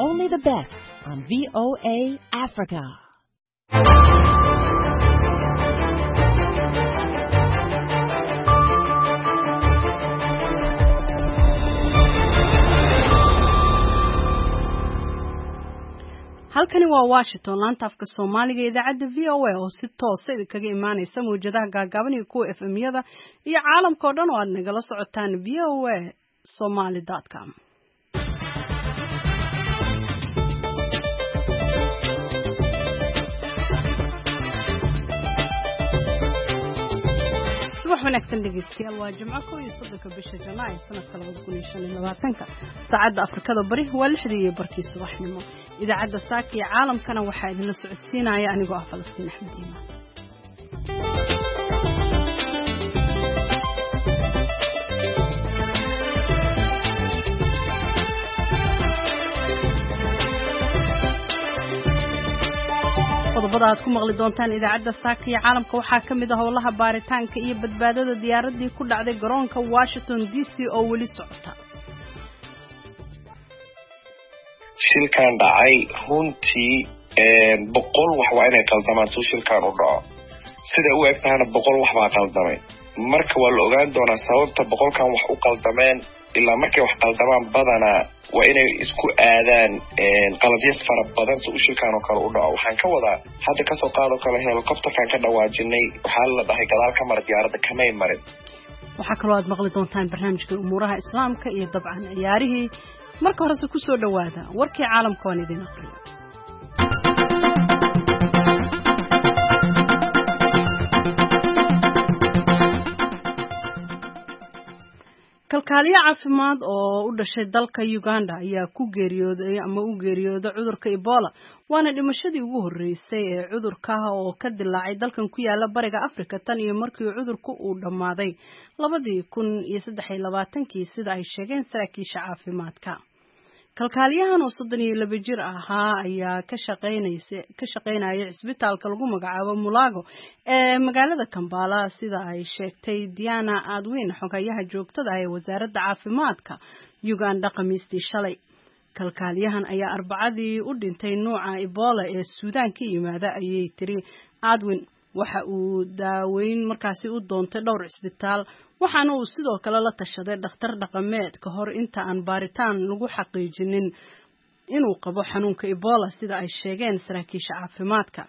Only the best on VOA Africa. Halkani waa Washington, laanta afka Soomaaliga ee idaacadda VOA oo si toosa idinkaga imaanaysa mawjadaha gaagaaban iyo kuwa FM-yada iyo caalamka oo dhan oo aad nagala socotaan voasomali.com. Subax wanaagsan dhegeystayaal, waa Jimco, 31-ka bisha Janaayo sanadka 2025-ka. Saacadda Afrikada Bari waa 6:30 subaxnimo. Idaacadda saaka iyo caalamkana waxaa idinla socodsiinaya anigoo ah Falastiin Axmed Iimaan. Qodobada aad ku maqli doontaan idaacadda saaka iyo caalamka waxaa ka mid ah howlaha baaritaanka iyo badbaadada diyaaraddii ku dhacday garoonka Washington DC oo weli socota. Shilkan dhacay runtii 100 wax waa inay qaldamaan suu shilkan u dhaco. Siday u eg tahana 100 wax baa qaldamay. Marka waa la ogaan doonaa sababta 100-kan wax u qaldameen. Ilaa markay wax qaldamaan badanaa waa inay isku aadaan qaladyo fara badan si u shilkan oo kale u dhaco. Waxaan ka wadaa, hadda kasoo qaadoo kale helicopterkan ka dhawaajinay, waxaa la dhahay gadaal ka mara, diyaaradda kamay marin. Waxaa kaloo aad maqli doontaan barnaamijka umuuraha islaamka iyo dabcan ciyaarihii. Marka horese ku soo dhowaada warkii caalamka waan idin aqriyo. Kalkaaliye caafimaad oo u dhashay dalka Uganda ayaa ku geeriyooday ama u geeriyooday cudurka Ebola, waana dhimashadii ugu horreysay ee cudurka oo ka dilaacay dalkan ku yaala bariga Afrika tan iyo markii cudurku uu dhammaaday 2023-kii, sida ay sheegeen saraakiisha caafimaadka. Kalkaaliyahan oo 32 jir ahaa ayaa ka shaqaynaya cisbitaalka lagu magacaabo Mulago ee magaalada Kampala, sida ay sheegtay Diana Adwin, xogayaha joogtada ah ee wasaaradda caafimaadka Uganda, Khamiistii shalay. Kalkaaliyahan ayaa Arbacadii u dhintay nuuca Ebola ee Suudaan ka yimaada, ayay tiri Adwin. Waxa uu daaweyn markaasi u doontay dhowr cisbitaal, waxaana uu sidoo kale la tashaday dhakhtar dhaqameed ka hor inta aan baaritaan lagu xaqiijinin inuu qabo xanuunka Ebola, sida ay sheegeen saraakiisha caafimaadka.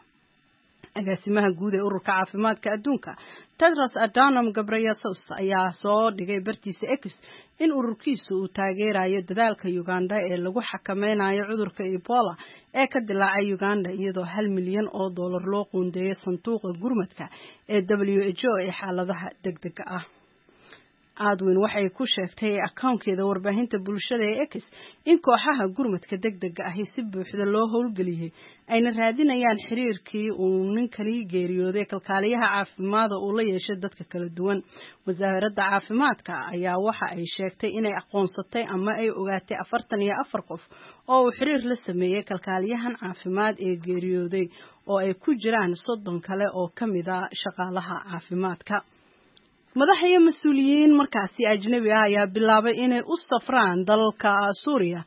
Agaasimaha guud ee ururka caafimaadka adduunka, Tedros Adhanom Ghebreyesus, ayaa soo dhigay bartiisa X in ururkiisu uu taageerayo dadaalka Uganda ee lagu xakameynayo cudurka Ebola ee ka dilaacay Uganda, iyadoo $1 milyan loo qoondeeyay sanduuqa gurmadka ee WHO ee xaaladaha degdega ah. Adwin waxay ku sheegtay akoonkeeda warbaahinta bulshada ee X in kooxaha gurmadka degdega ahi si buuxda loo howlgeliyey, ayna raadinayaan xiriirkii uu ninkani geeriyooday kalkaaliyaha caafimaada uu la yeeshay dadka kala duwan. Wasaaradda caafimaadka ayaa waxa ay sheegtay inay aqoonsatay ama ay ogaatay 44 qof oo uu xiriir la sameeyey kalkaaliyahan caafimaad ee geeriyooday, oo ay ku jiraan 30 kale oo ka mid a shaqaalaha caafimaadka. Madax iyo mas-uuliyiin markaasi ajnabi ah ayaa bilaabay inay u safraan dalka Suuriya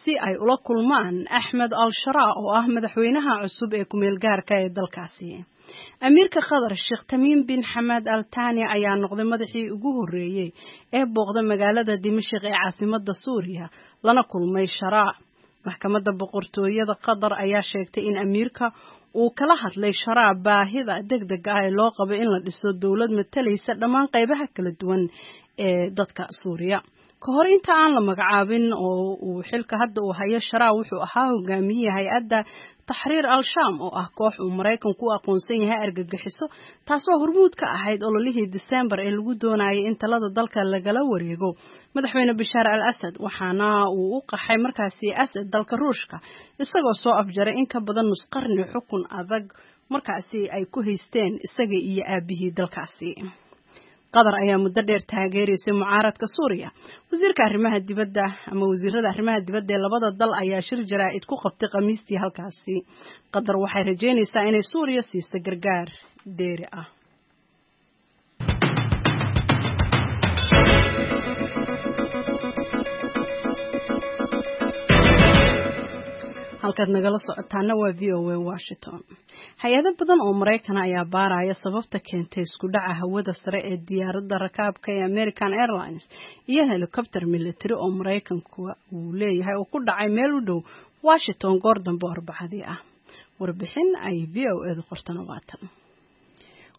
si ay ula kulmaan Axmed al-Sharaa oo ah madaxweynaha cusub ee kumeel gaarka ee dalkaasi. Amiirka Qatar, Sheekh Tamiim bin Xamaad al Tani, ayaa noqday madaxii ugu horreeyey ee booqda magaalada Dimashq ee caasimadda Suuriya, lana kulmay Sharaa. Maxkamadda boqortooyada Qatar ayaa sheegtay in amiirka uu kala hadlay Sharaa baahida degdega ah ee loo qabo in la dhiso dowlad matalaysa dhammaan qaybaha kala duwan ee dadka Suuriya. Ka hor inta aan la magacaabin oo uu xilka hadda uu hayo, Sharaa wuxuu ahaa hogaamiye hay-adda Taxriir al-Shaam, oo ah koox uu Maraykanku u aqoonsan yahay argagixiso, taasoo hormuud ka ahayd ololihii Disembar ee lagu doonayay in talada dalka lagala wareego madaxweyne Bashaar al Asad, waxaana uu u qaxay markaasi Asad dalka Ruushka, isagoo soo afjaray in ka badan nus qarni xukun adag markaasi ay ku haysteen isaga iyo aabihii dalkaasi. Qatar ayaa muddo dheer taageeraysay mucaaradka Suuriya. Wasiirka arrimaha dibadda ama wasiirada arrimaha dibadda ee labada dal ayaa shir jaraa'id ku qabtay Khamiistii halkaasi. Qatar waxay rajeynaysaa inay Suuriya siiso gargaar dheeri ah. Halkaad nagala socotaana waa VOA Washington. Hay-ado badan oo Maraykana ayaa baaraya sababta keentay isku dhaca hawada sare ee diyaaradda rakaabka ee American Airlines iyo helicopter military oo Maraykanku uu leeyahay oo ku dhacay meel u dhow Washington goor dambe Arbacadii ah. Warbixin ay VOA-du qortana waatan.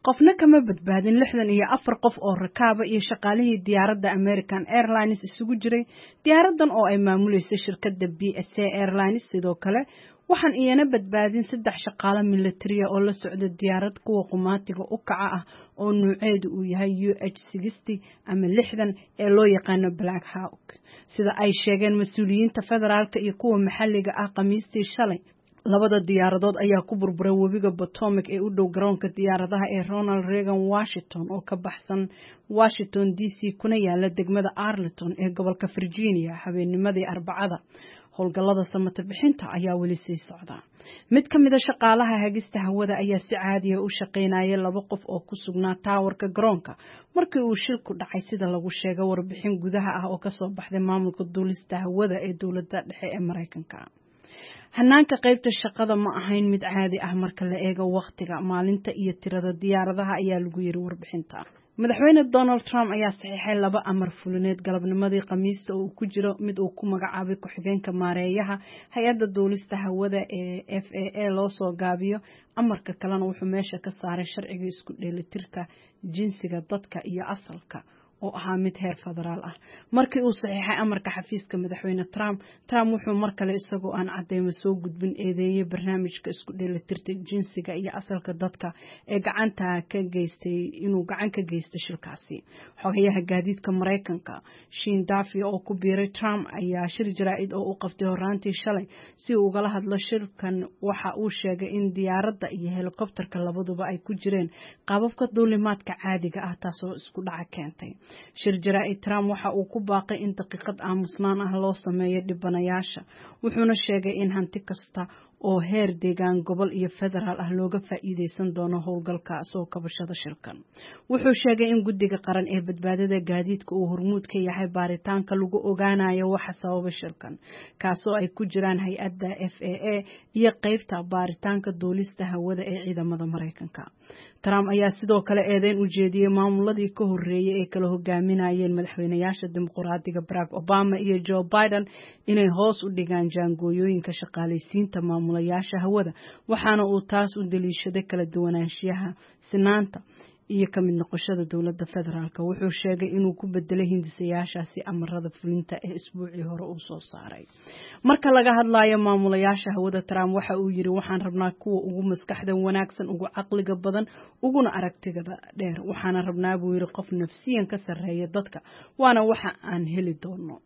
Qofna kama badbaadin 64 qof oo rakaaba iyo shaqaalihii diyaaradda American Airlines isugu jiray diyaaraddan oo ay maamuleysay shirkadda BSA Airlines. Sidoo kale waxaan iyana badbaadin saddex shaqaale militariya oo la socda diyaarad kuwa qumaatiga u kaca ah oo nuuceedu uu yahay UH 60 ama 60 ee loo yaqaano Black Hawk, sida ay sheegeen mas-uuliyiinta federaalka iyo kuwa maxalliga ah Khamiistii shalay. Labada diyaaradood ayaa ku burburay webiga Potomac ee u dhow garoonka diyaaradaha ee Ronald Reagan Washington oo ka baxsan Washington DC, kuna yaala degmada Arlington ee gobolka Virginia, habeennimadii Arbacada. Howlgallada samata bixinta ayaa weli sii socda. Mid ka mid a shaqaalaha hagista hawada ayaa si caadiya u shaqaynaya laba qof oo ku sugnaa taawarka garoonka markii uu shilku dhacay, sida lagu sheegay warbixin gudaha ah oo kasoo baxday maamulka duulista hawada ee dowladda dhexe ee Maraykanka. Hanaanka qaybta shaqada ma ahayn mid caadi ah marka la eego wakhtiga maalinta iyo tirada diyaaradaha, ayaa lagu yiri warbixinta. Madaxweyne Donald Trump ayaa saxiixay laba amar fulineed galabnimadii Khamiista, oo uu ku jiro mid uu ku magacaabay ku-xigeenka maareeyaha hay-adda duulista hawada ee FAA loo soo gaabiyo. Amarka kalena wuxuu meesha ka saaray sharciga isku dheelitirka jinsiga dadka iyo asalka oo ahaa mid heer federaal ah. Markii uu saxiixay amarka xafiiska madaxweyne Trump, Trump wuxuu mar kale, isagoo aan cadeymo soo gudbin, eedeeyey barnaamijka isku dheelitirta jinsiga iyo asalka dadka ee gacanta ka geystay inuu gacan ka geystay shilkaasi. Xogayaha gaadiidka Maraykanka Sean Duffy, oo ku biiray Trump, ayaa shir jaraa'id oo u qabtay horaantii shalay si uu ugala hadlo shilkan waxa uu sheegay in diyaaradda iyo helikobterka labaduba ay ku jireen qaababka duulimaadka caadiga ah, taasoo isku dhaca keentay. Shir jaraa'id, Trump waxa uu ku baaqay in daqiiqad aamusnaan ah loo sameeyo dhibanayaasha, wuxuuna sheegay in hanti kasta oo heer deegaan, gobol iyo federaal ah looga faa'iideysan doono howlgalka soo kabashada shilkan. Wuxuu sheegay in Guddiga Qaran ee Badbaadada Gaadiidka uu hormuud ka yahay baaritaanka lagu ogaanayo waxa sababa shilkan, kaasoo ay ku jiraan hay-adda FAA iyo qeybta baaritaanka duulista hawada ee ciidamada Maraykanka. Trump ayaa sidoo kale eedeyn u jeediyey maamuladii ka horreeyay ee kala hogaaminayeen madaxweynayaasha Dimuqraadiga Barack Obama iyo Joe Biden inay hoos u dhigaan jaangooyooyinka shaqaalaysiinta maamulayaasha hawada, waxaana uu taas u daliishaday kala duwanaanshiyaha, sinaanta iyo ka mid noqoshada dowladda federaalk. Wuxuu sheegay inuu ku bedelay hindisayaashaasi amarada fulinta ee isbuucii hore uu soo saaray. Marka laga hadlayo maamulayaasha hawada, Trump waxa uu yiri: "Waxaan rabnaa kuwa ugu maskaxda wanaagsan, ugu caqliga badan, uguna aragtigada dheer. Waxaana rabnaa," buu yiri, "qof nafsiyan ka sarreeya dadka, waana waxa aan heli doono."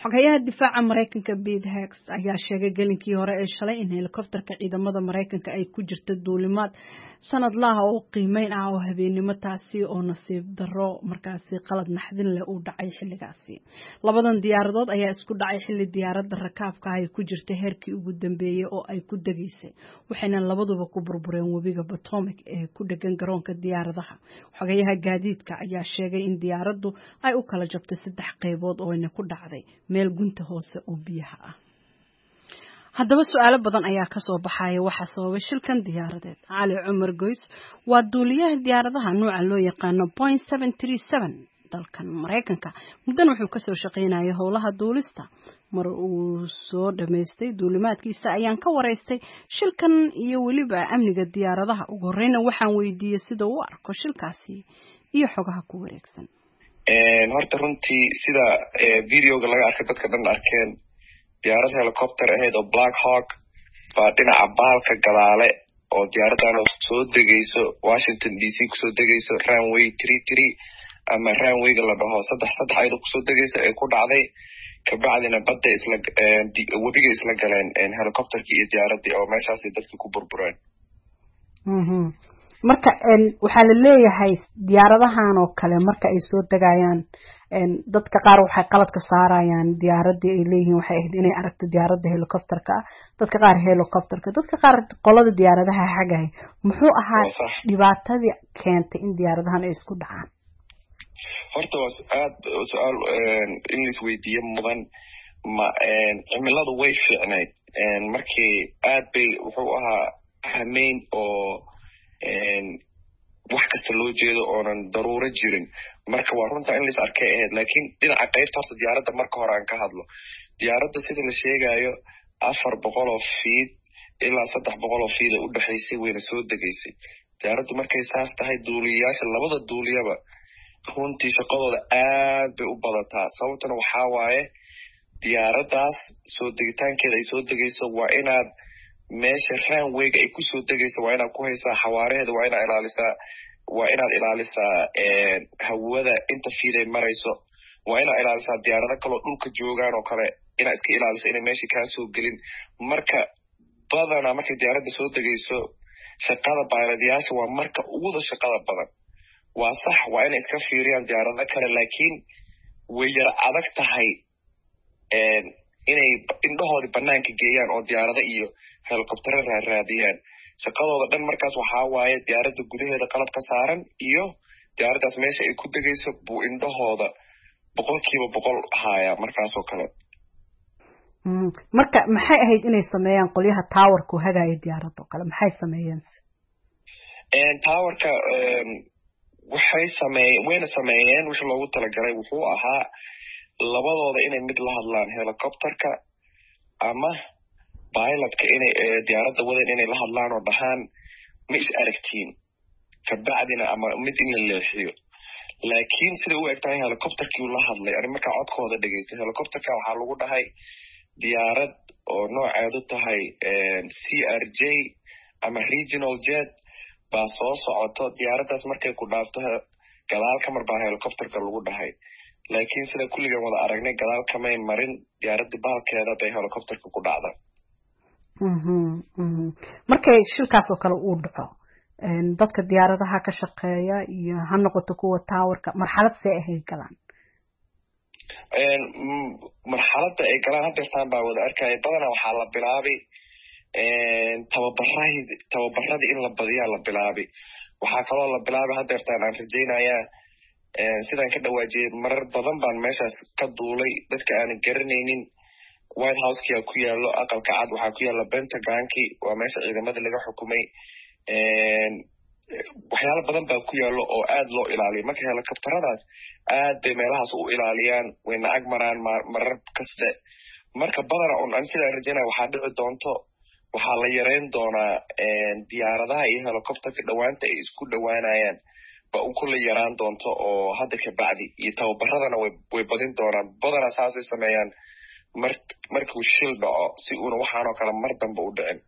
Xoghayaha difaaca Maraykanka Pete Hegseth ayaa sheegay gelinkii hore ee shalay in helikobterka ciidamada Maraykanka ay ku jirta duulimaad sanadlaha oo qiimeyn ah oo habeennimo, taasi oo nasiib darro markaasi qalad naxdin leh uu dhacay xilligaasi. Labadan diyaaradood ayaa isku dhacay xilli diyaaradda rakaabka ay ku jirta heerkii ugu dambeeyey oo ay ku degaysay, waxayna labaduba ku burbureen webiga Potomac ee ku dhegan garoonka diyaaradaha. Xogayaha gaadiidka ayaa sheegay in diyaaraddu ay u kala jabtay saddex qaybood oo ayna ku dhacday meel gunta hoose oo biyaha ah. Haddaba su-aalo badan ayaa kasoo baxaya waxaa sababay shilkan diyaaradeed. Cali Cumar Goys waa duuliyaha diyaaradaha nuuca loo yaqaano Boeing 737 dalkan Maraykanka. Muddan wuxuu kasoo shaqaynayay howlaha duulista. Mar uu soo dhammaystay duulimaadkiisa ayaan ka waraystay shilkan iyo weliba amniga diyaaradaha. Ugu horeyna waxaan weydiiyey sida uu arko shilkaasi iyo xogaha ku wareegsan. Horta runtii, sida videoga laga arkay, dadka dhan arkeen, diyaarad helicopter ahayd oo Black Hawk baa dhinaca baalka gadaale oo diyaaraddan oo soo degayso Washington DC kusoo degayso runway 33 ama runwayga la dhaho 33 ayadoo kusoo degaysa ay ku dhacday. Kabacdina badda isla webiga isla galeen helicopterkii iyo diyaaraddii, oo meeshaasay dadki ku burbureen. Marka waxaa la leeyahay diyaaradahan oo kale marka ay soo degayaan, dadka qaar waxay qalad ka saarayaan diyaaraddii, ay leeyihiin waxay ahayd inay aragto diyaaradda helicopterka ah, dadka qaar helicopterka, dadka qaar qolada diyaaradaha xagahay. Muxuu ahaa dhibaatadii keentay in diyaaradahan ay isku dhacaan? Horta waa aad su-aal in la isweydiiyo mudan. Ma cimiladu way fiicnayd markii aad bay wuxuu ahaa hameyn oo wax kasta loo jeedo oonan daruuro jirin. Marka waa runta in lais arkay ahayd, laakiin dhinaca qaybta horta diyaaradda marka hore aan ka hadlo. Diyaaradda sida la sheegayo 400 feet ilaa 300 feet ay u dhexaysay, wayna soo degaysay diyaaraddu. Markay saas tahay, duuliyayaasha, labada duuliyaba, runtii shaqadooda aad bay u badataa. Sababtuna waxaa waaye diyaaraddaas soo degitaankeeda ay soo degayso waa inaad meesha runwayga ay kusoo degayso waa inaad ku haysaa xawaaraheeda, waa inaad ilaalisaa, waa inaad ilaalisaa hawada inta feet ay marayso, waa inaad ilaalisaa diyaarado kaloo dhulka joogaan oo kale, inaad iska ilaalisa inay meesha kaa soo gelin. Marka badanaa markay diyaaradda soo degayso, shaqada pilotyaasha waa marka uguda shaqada badan. Waa sax, waa inay iska fiiriyaan diyaarado kale, laakiin way yara adag tahay inay indhahoodii banaanka geeyaan oo diyaarado iyo helicoptero raaraadiyaan. Shaqadooda dhan markaas waxaa waaye diyaaradda gudaheeda qalab ka saaran iyo diyaaraddaas meesha ay ku degayso buu indhahooda 100% haaya markaasoo kale. Marka maxay ahayd inay sameeyaan qolyaha towerku hagaaya diyaaradda oo kale? Maxay sameeyeen? Towerka waxay sameeye wayna sameeyeen wixii loogu talagalay. Wuxuu ahaa labadooda inay mid la hadlaan, helicopterka ama pilotka inay diyaaradda wadan inay la hadlaan oo dhahaan "Ma is aragtiin?" Kabacdina ama mid in la leexiyo. Laakiin sida u eg tahay helicopterkii la hadlay, ani markaa codkooda dhegeystay, helicopterka waxaa lagu dhahay diyaarad oo nooceedu tahay CRJ ama regional jet baa soo socoto, diyaaraddaas markay ku dhaafto gadaal ka mar baa helicopterka lagu dhahay. Laakiin sida kulligan wada aragnay, gadaal kamay marin diyaaraddii, baalkeeda bay helicopterka ku dhacda. Markay shilkaas oo kale uu dhaco, dadka diyaaradaha ka shaqeeya iyo ha noqoto kuwa towerka, marxalad see ahay galaan? Marxaladda ay galaan hadeertaan baa wada arkaya. Badanaa waxaa la bilaabay tababarahi tababaradii in la badiyaa la bilaabay. Waxaa kaloo la bilaabay hadeertaan aan rajaynayaa, sidaan ka dhawaajiyey, marar badan baan meeshaas ka duulay. Dadka aanan garanaynin, White Houseka ku yaalo, Aqalka Cad, waxaa ku yaalla Pentagonki, waa meesha ciidamada laga xukumay. Waxyaalo badan baa ku yaallo oo aad loo ilaaliyo. Marka helicopteradaas aad bay meelahaas u ilaaliyaan, wayna ag maraan marar kaste. Marka badana un an sidaan rajaynaya waxaa dhici doonto waxaa la yareyn doonaa diyaaradaha iyo helicopterka dhawaanta ay isku dhowaanayaan ba un kula yaraan doonto oo hadda kabacdi, iyo tababaradana way badin doonaan. Badanaa saasay sameeyaan markuu shil dhaco, si uuna waxaanoo kale mar dambe u dhicin.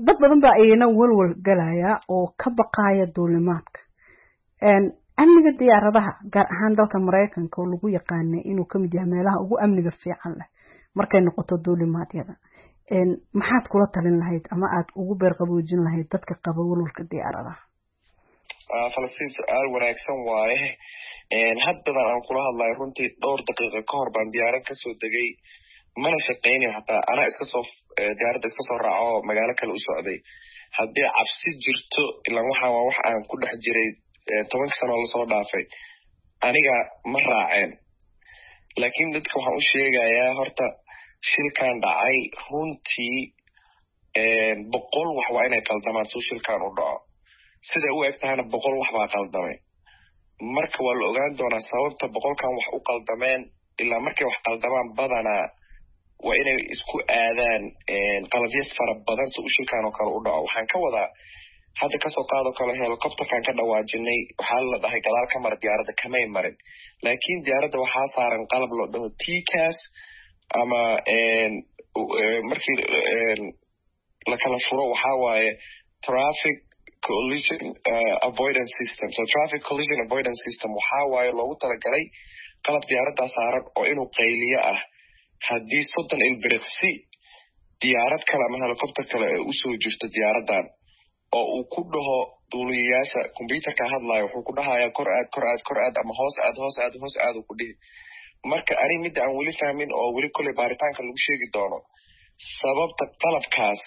Dad badan baa iyana walwal galaya oo ka baqaya duulimaadka, amniga diyaaradaha, gaar ahaan dalka Maraykanka oo lagu yaqaanay inuu kamid yahay meelaha ugu amniga fiican leh markay noqoto duulimaadyada. Maxaad kula talin lahayd ama aad ugu beerqaboojin lahayd dadka qaba walwalka diyaaradaha? Falastiin, su-aal wanaagsan waaye. Haddadan aan kula hadlayo, runtii dhowr daqiiqa ka hor baan diyaarad kasoo degay, mana shaqaynin hataa, anaa iska soo diyaaradda iska soo raaco, magaalo kale u socday. Haddii cabsi jirto, ilaan waxaan waa wax aan ku dhex jiray 10-ka sano lasoo dhaafay, aniga ma raaceen. Laakiin dadka waxaan u sheegayaa horta shilkan dhacay runtii 100 wax waa inay qaldamaan suu shilkan u dhaco. Siday u eg tahayna 100 wax baa qaldamay. Marka waa la ogaan doonaa sababta 100-kan wax u qaldameen. Ilaa markay wax qaldamaan badanaa waa inay isku aadaan qalabyo fara badan si u shilkan oo kale u dhaco. Waxaan ka wadaa, hadda kasoo qaadoo kale helicopterkan ka dhawaajinay, waxaa la dhahay gadaal ka mara diyaaradda, kamay marin. Laakiin diyaaradda waxaa saaran qalab loo dhaho TCAS, ama markii la kala furo waxaa waaye traffic collision avoidance system. So traffic collision avoidance system waxaa waaye loogu talagalay qalab diyaaraddaa saaran oo inuu qayliyo ah haddii 30 ilbiriqsi diyaarad kale ama helicopter kale ay usoo jirto diyaaraddan, oo uu ku dhaho duuliyayaasha, computerka hadlayo, wuxuu ku dhahayaa kor aad, kor aad, kor aad, ama hoos aad, hoos aad, hoos aad uu ku dhihi. Marka ani midda aan weli fahmin oo weli kolley baaritaanka lagu sheegi doono, sababta qalabkaas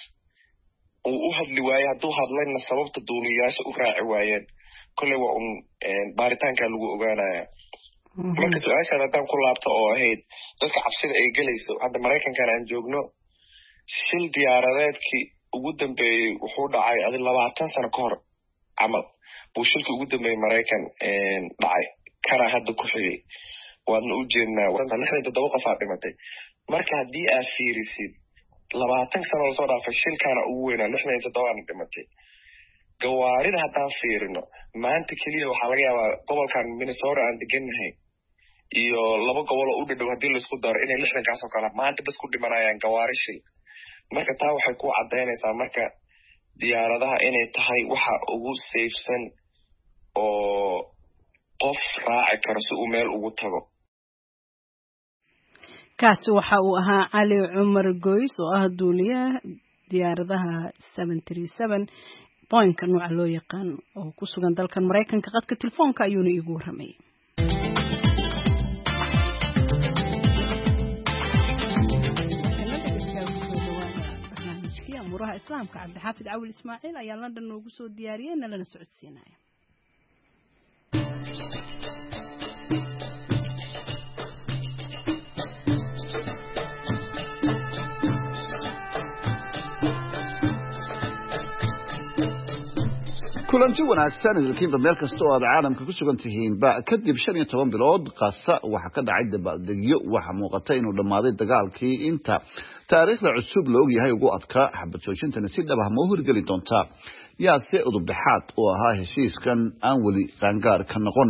uu u hadli waaye, hadduu hadlayna sababta duuliyayaasha u raaci waayeen, kolley waa un baaritaanka lagu ogaanaya. Marka su-aashaad haddaan ku laabto oo ahayd dadka cabsida ay gelayso, hadda Maraykankan aan joogno shil diyaaradeedkii ugu dambeeyey wuxuu dhacay adi 20 sano ka hor camal buu shilkii ugu dambeeyey Maraykan dhacay, kana hadda ku xigay waadna u jeednaa, 67 qof aa dhimatay. Marka haddii aad fiirisid 20 sano lasoo dhaafay, shilkaana ugu weynaa, 67aana dhimatay. Gawaarida haddaan fiirino, maanta keliya waxaa laga yaabaa gobolkan Minnesota aan degannahay iyo laba gobol oo u dhadhow haddii laisku daro inay 60kaas oo kale maanta bas ku dhimanayaan gawaari shil. Marka taa waxay ku caddaynaysaa marka diyaaradaha inay tahay waxa ugu safe-san oo qof raaci karo si uu meel ugu tago. Kaasi waxa uu ahaa Cali Cumar Goys oo ah duuliyaha diyaaradaha 737 Boeing-ka nooca loo yaqaan oo ku sugan dalkan Maraykanka. Qadka telefoonka ayuuna iigu warramayay. Barnaamijkii amuuraha Islaamka, Cabdixaafid Cawil Ismaaciil ayaa London noogu soo diyaariyey, nalana socodsiinaya. Kulanti wanaagsan idilkiinba meel kasta oo aad caalamka ku sugan tihiinba. Kadib 15 bilood Qasa waxaa ka dhacay dabaaldegyo. Waxaa muuqata inuu dhammaaday dagaalkii inta taariikhda cusub la ogyahay ugu adkaa. Xabad joojintani si dhab ah ma u hirgeli doontaa? Yaase udub dhexaad oo ahaa heshiiskan aan weli qaangaar ka noqon?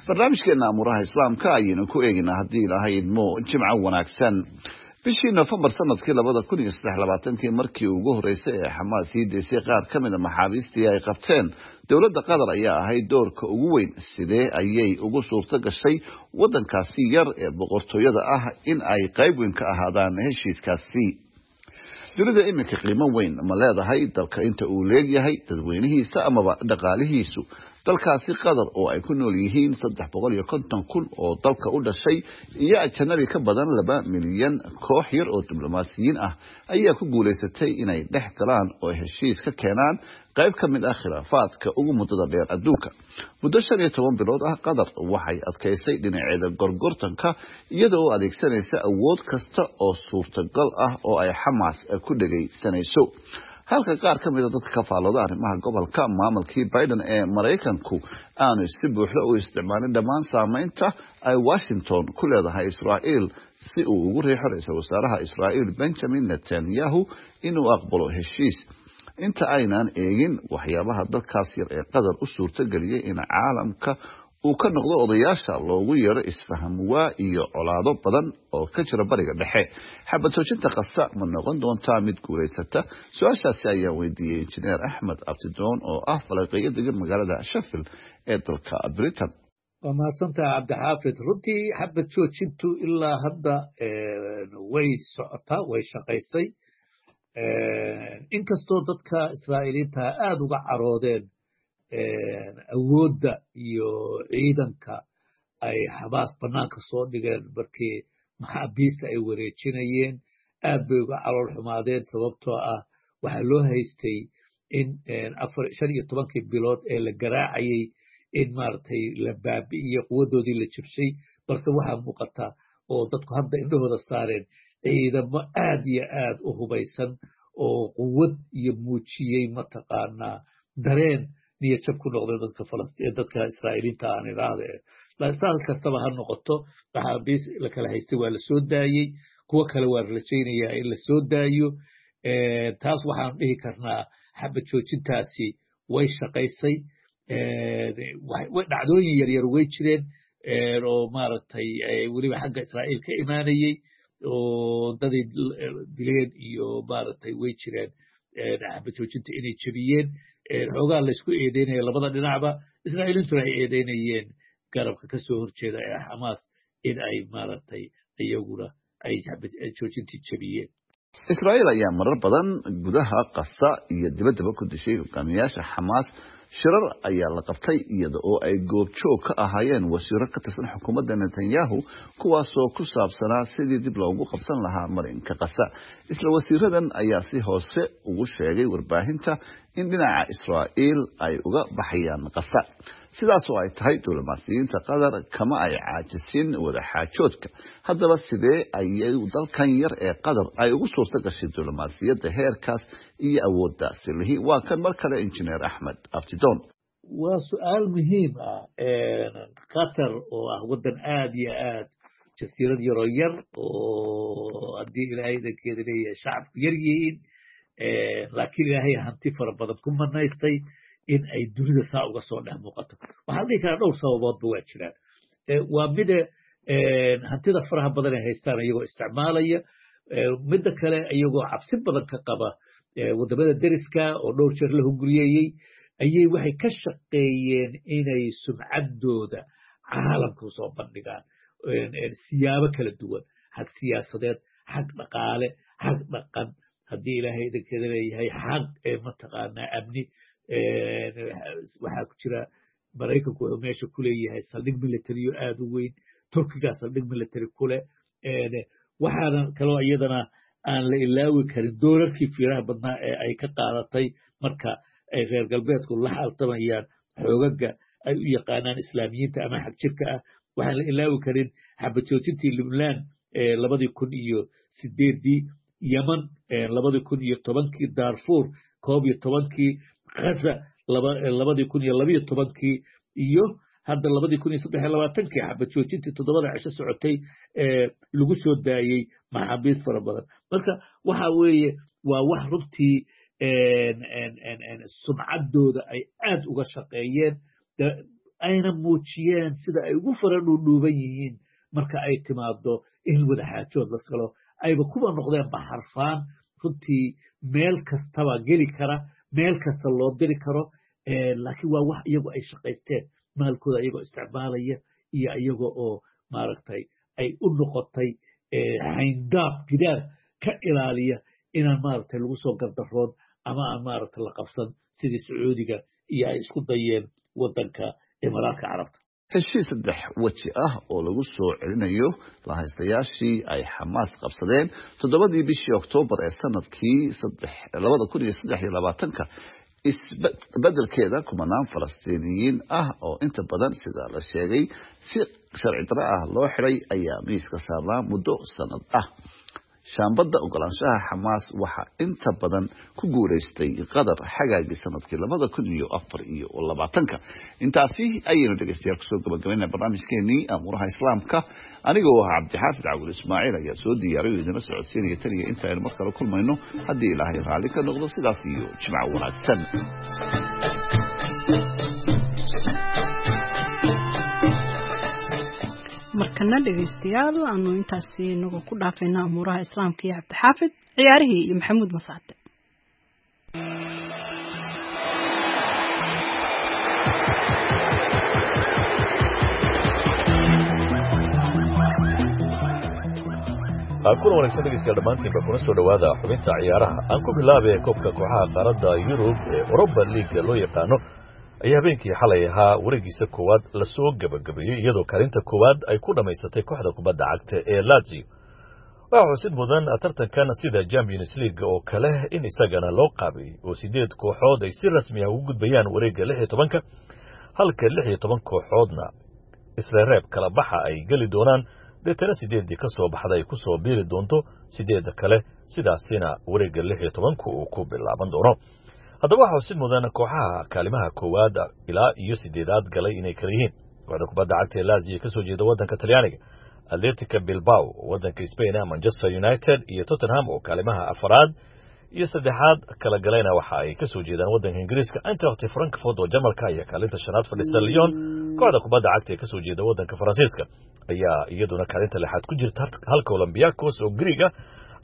Barnaamijkeena amuuraha Islaamka ayaynu ku eegaynaa haddii Ilaahay idmo. Jimco wanaagsan. Bishii Nofembar sanadkii 2023-kii, markii ugu horeysay ee Xamaas sii deysay qaar ka mid a maxaabiistii ay qabteen dowladda Qatar ayaa ahayd doorka ugu weyn. Sidee ayay ugu suurto gashay wadankaasi yar ee boqortooyada ah in ay qayb weyn ka ahaadaan heshiiskaasi? Dunida iminka qiimo weyn ma leedahay dalka inta uu leegyahay dadweynihiisa amaba dhaqaalihiisu? Dalkaasi Qatar oo ay ku nool yihiin 350,000 oo dalka u dhashay iyo ajanabi ka badan 2 milyan, koox yar oo diblomaasiyiin ah ayaa ku guulaysatay inay dhex galaan oo heshiis ka keenaan qayb ka mid ah khilaafaadka ugu muddada dheer adduunka. Muddo 15 bilood ah Qatar waxay adkaysay dhinaceeda gorgortanka, iyada oo adeegsanaysa awood kasta oo suurtagal ah oo ay Xamaas ku dhegaysanayso, halka qaar ka mida dadka ka faallooda arrimaha gobolka maamulkii Biden ee Maraykanku aanu si buuxda u isticmaalin dhammaan saameynta ay Washington ku leedahay Israa'iil si uu ugu riixo ra-iisul wasaaraha Israa'iil Benjamin Netanyahu inuu aqbalo heshiis. Inta aynaan eegin waxyaabaha dalkaas yar ee Qatar u suurtageliyey in caalamka uu ka noqdo odayaasha loogu yeero isfahamwaa iyo colaado badan oo ka jira Bariga Dhexe, xabad joojinta Qasa ma noqon doontaa mid guulaysata? Su-aashaasi ayaan weydiiyey Injineer Axmed Abtidoon oo ah falanqeeyo degan magaalada Sheffield ee dalka Britain. Waa mahadsantaha, Cabdixaafid. Runtii xabad joojintu ilaa hadda way socotaa, way shaqaysay, inkastoo dadka Israa'iiliinta aada uga caroodeen awoodda iyo ciidanka ay Xamaas bannaanka soo dhigeen markii maxaabiista ay wareejinayeen. Aad bay uga calool xumaadeen, sababtoo ah waxaa loo haystay in 15-kii bilood ee la garaacayay in maaragtay la baabi'iyo quwaddoodii la jabshay, balse waxaa muuqata oo dadku hadda indhahooda saareen ciidamo aad iyo aad u hubaysan oo quwad iyo muujiyey mataqaanaa dareen niyad jab ku noqday dadka Falastiin, dadka Israa'iiliinta aan idhaahde. Saas kastaba ha noqoto, maxaabiis la kala haystay waa la soo daayey, kuwo kale waa la rajaynayaa in la soo daayo. Taas waxaan dhihi karnaa xabad joojintaasi way shaqaysay. Dhacdooyin yaryar way jireen oo maaragtay weliba xagga Israa'iil ka imaanayey oo daday dileen iyo maaragtay way jireen xabad joojinta inay jebiyeen. Xoogaa laysku eedeynaya labada dhinacba, Israa'iiliintuna ay eedeynayeen garabka ka soo horjeeda ee Xamaas in ay maaragtay iyaguna ay xabad joojintii jebiyeen. Israa'iil ayaa marar badan gudaha Qasa iyo dibaddaba ku dishay hogaamiyaasha Xamaas Shirar ayaa la qabtay iyada oo ay goobjoog ka ahaayeen wasiiro ka tirsan xukuumadda Netanyahu, kuwaasoo ku saabsanaa sidii dib loogu qabsan lahaa marinka Qasa. Isla wasiiradan ayaa si hoose ugu sheegay warbaahinta in dhinaca Israa'iil ay uga baxayaan Qasa. Sidaas oo ay tahay, diblomaasiyiinta Qatar kama ay caajisin wadaxaajoodka. Haddaba, sidee ayay dalkan yar ee Qatar ay ugu suurta gashay diblomaasiyadda heerkaas iyo awooddaasi lihi? Waa kan mar kale Injineer Axmed Abtidoon. Waa su-aal muhiim ah. Qatar oo ah waddan aad iyo aad jasiirad yaroo yar oo haddii Ilaahay idankeeda leeyahay shacabku yar yihiin, laakiin Ilaahay hanti fara badan ku manaystay, in ay dunida saa uga soo dhex muuqato, waxaa la dhihi karaa dhowr sababoodba waa jiraan. Waa mida hantida faraha badan ay haystaan iyagoo isticmaalaya, midda kale iyagoo cabsi badan ka qaba waddamada deriska oo dhowr jeer la hunguriyeeyey, ayay waxay ka shaqeeyeen inay sumcaddooda caalamka usoo bandhigaan siyaabo kala duwan, xag siyaasadeed, xag dhaqaale, xag dhaqan, haddii Ilaahay idankeeda leeyahay xag mataqaanaa amni. Waxaa ku jira Maraykanku wuxuu meesha ku leeyahay saldhig military-yo aad u weyn, Turkigaa saldhig military ku leh. Waxaana kaloo iyadana aan la ilaawi karin doorarkii fiiraha badnaa ee ay ka qaadatay marka ay reer galbeedku la xaltamayaan xoogaga ay u yaqaanaan Islaamiyiinta ama xagjirka ah. Waxaan la ilaawi karin xabajoojintii Lubnaan 2008-dii, Yeman 2010-kii, Darfur 11-kii, Gaza 2012-kii, iyo hadda 2023-kii xabajoojintii 7-da cisho socotay ee lagu soo daayey maxaabiis fara badan. Marka waxa weeye waa wax runtii sumcaddooda ay aad uga shaqeeyeen, ayna muujiyeen sida ay ugu fara dhuudhuuban yihiin marka ay timaado in wadaxaajood la galo, ayba kuwa noqdeen baxarfaan runtii meel kastaba geli kara, meel kasta loo diri karo. Laakiin waa wax iyagu ay shaqaysteen, maalkooda iyagoo isticmaalaya iyo iyaga oo maaragtay ay u noqotay xayndaab, gidaar ka ilaaliya inaan maaragtay lagu soo gardaroon ama aan maaragtay la qabsan, sidii Sacuudiga iyo ay isku dayeen waddanka Imaaraadka Carabta. Heshiis saddex weji ah oo lagu soo celinayo lahaystayaashii ay Xamaas qabsadeen 7-dii bishii Oktoobar ee sanadkii 2023-ka, isbedelkeeda kumanaan Falastiiniyiin ah oo inta badan, sida la sheegay, si sharci darro ah loo xiray ayaa miiska saarnaa muddo sanad ah. Shaambadda ogolaanshaha Xamaas waxaa inta badan ku guulaystay Qatar xagaagii sanadkii 2024-ka. Intaasi ayaynu dhegeystayaal kusoo gabagabayna barnaamijkeenii Amuuraha Islaamka. Anigoo ah Cabdixaafid Cawil Ismaaciil ayaa soo diyaariy oo idinla socodsiinaya. Taniya inta aynu mar kale kulmayno, haddii Ilaahay raalli ka noqdo, sidaas iyo jimco wanaagsan. Markana dhegaystayaal, aanu intaasi inagoo ku dhaafayna Amuuraha Islaamka iyo Cabdixaafid, ciyaarihii iyo Maxamuud Masaate. Kuna wanaagsan dhegeystayaal dhammaantiinba, kuna soo dhowaada xubinta ciyaaraha. Aan ku bilaabay koobka kooxaha qaaradda Yurub ee Europa League loo yaqaano ayaa habeenkii xalay ahaa wareegiisa koowaad lasoo gebagabeeyey, iyadoo kaalinta koowaad ay ku dhammaysatay kooxda kubadda cagta ee Lazio. Waxaa xusid mudan tartankan sida Champions League oo kale in isagana loo qaabeeyey oo siddeed kooxood ay si rasmi ah ugu gudbayaan wareegga 16-ka, halka 16 kooxoodna isla reeb kala baxa ay geli doonaan, deetana siddeeddii ka soo baxda ay ku soo biiri doonto siddeedda kale, sidaasina wareegga 16-ku uu ku bilaaban doono. Haddaba waxaa xusid mudan kooxaha kaalimaha koowaad ilaa iyo siddeedaad galay inay kala yihiin kooxda kubadda cagta ee Lazio ka soo jeeda waddanka Talyaaniga, Atletica Bilbao oo waddanka Spain ah, Manchester United iyo Tottenham oo kaalimaha afaraad iyo saddexaad kala galayna waxa ay ka soo jeedaan waddanka Ingiriiska. Eintracht Frankfurt oo Jarmalka ayaa kaalinta shanaad fadhisa. Lyon, kooxda kubadda cagta ee ka soo jeeda waddanka Faransiiska, ayaa iyaduna kaalinta lixaad ku jirta, halka Olympiacos oo Greeg ah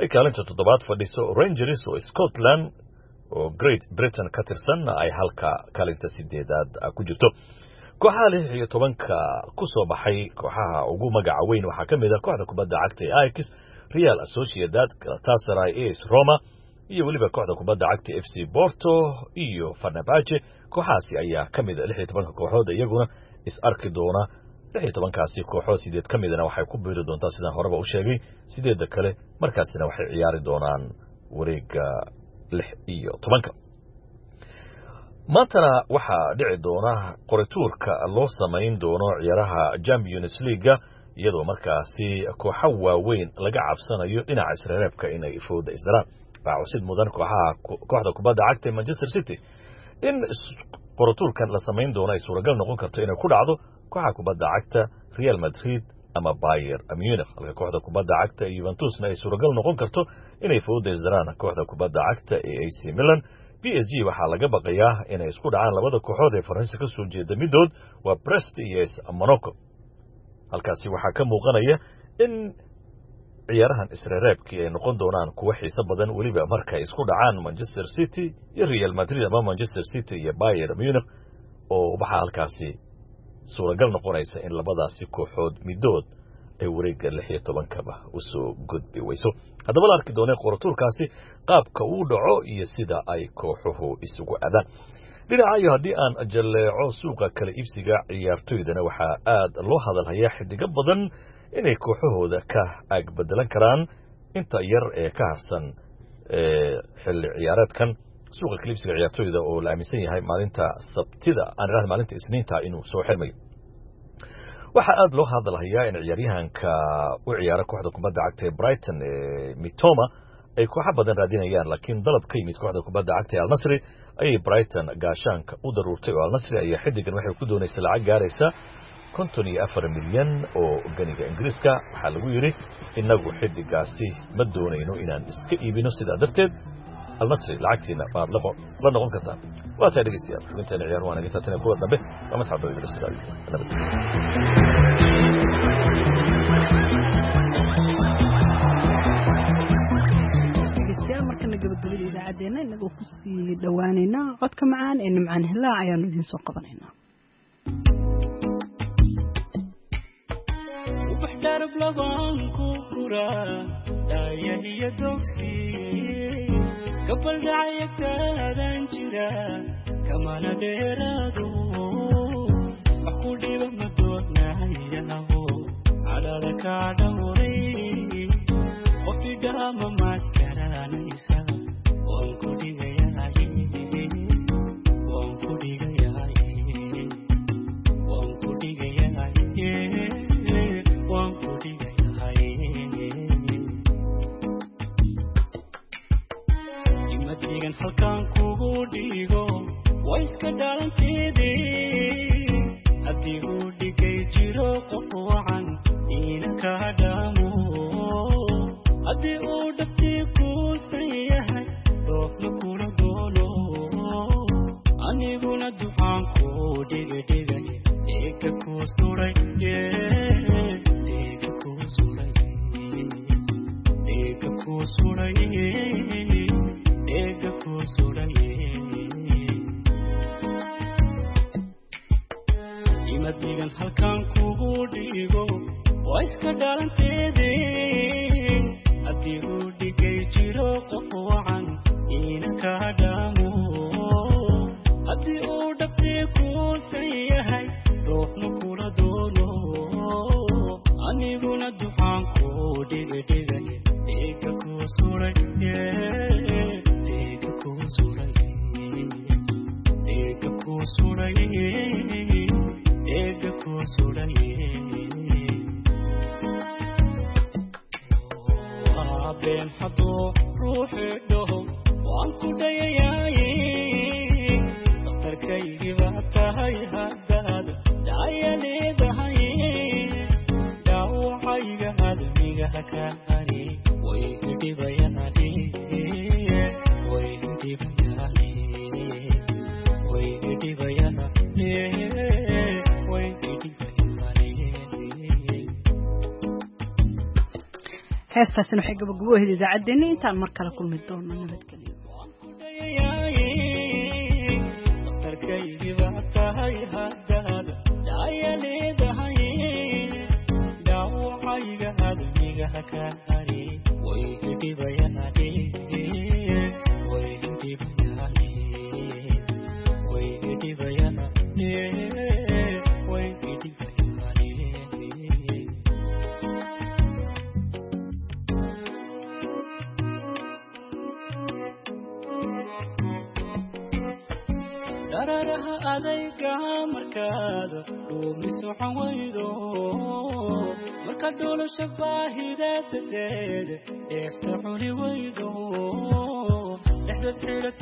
ay kaalinta toddobaad fadhiso. Rangers oo Scotland oo Great Britain ka tirsan ay halka kaalinta sideedaad ku jirto. Kooxaha 16-ka ku soo baxay, kooxaha ugu magaca weyn waxaa ka mid ah kooxda kubadda cagta ee Ajax, Real Sociedad, Galatasaray, AS Roma, iyo weliba kooxda kubadda cagta FC Porto iyo Fenerbahce. Kooxahaasi ayaa ka mid a 16-ka kooxood iyaguna is arki doona. 16-kaasi kooxood 8 ka midana waxay ku biiri doontaa sidaan horeba u sheegay 8-da kale, markaasina waxay ciyaari doonaan wareegga 16-ka. Maantana waxaa dhici doona qorituurka loo samayn doono ciyaaraha Champions League-ga, iyadoo markaasi kooxo waaweyn laga cabsanayo dhinaca isreereebka inay fooda isdaraan. Waxaa cusid mudan kooxaha kooxda kubadda cagta ee Manchester City in qorituurkan la samayn doono ay suuragal noqon karto inay ku dhacdo kooxaha kubadda cagta Real Madrid ama Bayern Munich, halka kooxda kubadda cagta ee Juventusna ay suuragal noqon karto inay fooda isdaraan kooxda kubadda cagta ee AC Milan. PSG waxaa laga baqayaa inay isku dhacaan labada kooxood ee Faransa ka soo jeeda midood, waa Brest iyo AS Monaco. Halkaasi waxaa ka muuqanaya in ciyaarahan isreereebkii ay noqon doonaan kuwo xiiso badan, weliba markay isku dhacaan Manchester City iyo Real Madrid ama Manchester City iyo Bayern Munich, oo waxaa halkaasi suuragal noqonaysa in labadaasi kooxood midood ay wareegga 16-kaba usoo gudbi weyso. Haddaba la arki doonee qoratuurkaasi qaabka uu dhaco iyo sida ay kooxuhu isugu aadaan. Dhinaca iyo haddii aan jalleeco suuqa kala iibsiga ciyaartoydana, waxaa aad loo hadalhayaa xidigo badan inay kooxahooda ka aagbedelan karaan inta yar ee ka harsan xilli ciyaareedkan. Suuqa kala iibsiga ciyaartoyda oo la aaminsan yahay maalinta Sabtida, aan idhahda maalinta Isniinta, inuu soo xirmayo, waxaa aad loo hadalhayaa in ciyaaryahanka u ciyaara kooxda kubadda cagta ee Brighton ee Mitoma ay kooxo badan raadinayaan, laakiin dalab ka yimid kooxda kubadda cagta ee Al-Nasri ayay Brighton gaashaanka u daruurtay, oo Al-Nasri ayaa xiddigan waxay ku doonaysa lacag gaaraysa 54 milyan oo ganiga Ingiriiska. Waxaa lagu yidhi innagu xiddigaasi ma doonayno inaan iska iibino, sidaa darteed Al-Nasri lacagtiina waad la noqon kartaan. Waa tahay dhegeystayaal, xubinteena ciyaar waa naga taatana kuwa dambe. Waa Masxab Dawida Siraayo, nabad. Dhegeystayaal, markana gabagabada idaacaddeenna inagoo kusii dhowaaneynaa codka macaan ee Nimcaan Hilaac ayaanu idiin soo qabanaynaa. Ubax dharab labaan ku furaa dhaayahiyo dogsi gabal dhacayagtaadan jira kamana dheeraado wax ku dhiba ma doonayaho cadhada kaa dhowray qof idhaama maad garanaysa waan ku dhigayahay, waan ku dhigayahay, waan ku dhigayahay, waan ku dhigayahay. Imadigan halkaan kugu dhigo waa iska dhalanteedii haddii uu dhigay jiro qof wacan iina kaa dhaamo, haddii uu dhabtii kuusan yahay dhoofna kula doono, aniguna ducaan kuu dhigidhigay dhiigga kuu suray, dhiigga kuu suray, dhiigga kuu suray, dhiigga kuu suray. Imadigan halkaan kugu dhigo waa iska dhalanteedii haddii uu dhigay jiro qof wacan iina kaa dhaamo, haddii uu dhabtii kuusan yahay dhoofna kula doono, aniguna ducaan kuu dhigidhigay dhiigga kuu suray, dhiigga kuu suray, dhiigga kuu suray, dhiigga kuu suray. Waa been hadduu ruuxi dhaho waan ku dhayayaaye, dhakhtarkaygii baa tahay haddaad dhaya leedahay, dhaawacayga admiga ka hari way idhibayaane, way idhibayaane, way idhibayaane, way idhibayaane. Heestaasina waxay gabagabo ahayd idaacaddeenna. Intaan mar kale kulmi doono, nabadgelyo. Waan ku dhayayaaye, dhakhtarkaygii baa tahay haddaad dhaya leedahay, dhaawacayga admiga ka hari way idhibayaane. Dhararaha adayga markaad dhuumi socon weydo, marka dholasha baahida darteed dheefta cuni weydo, dhexdad xidhat.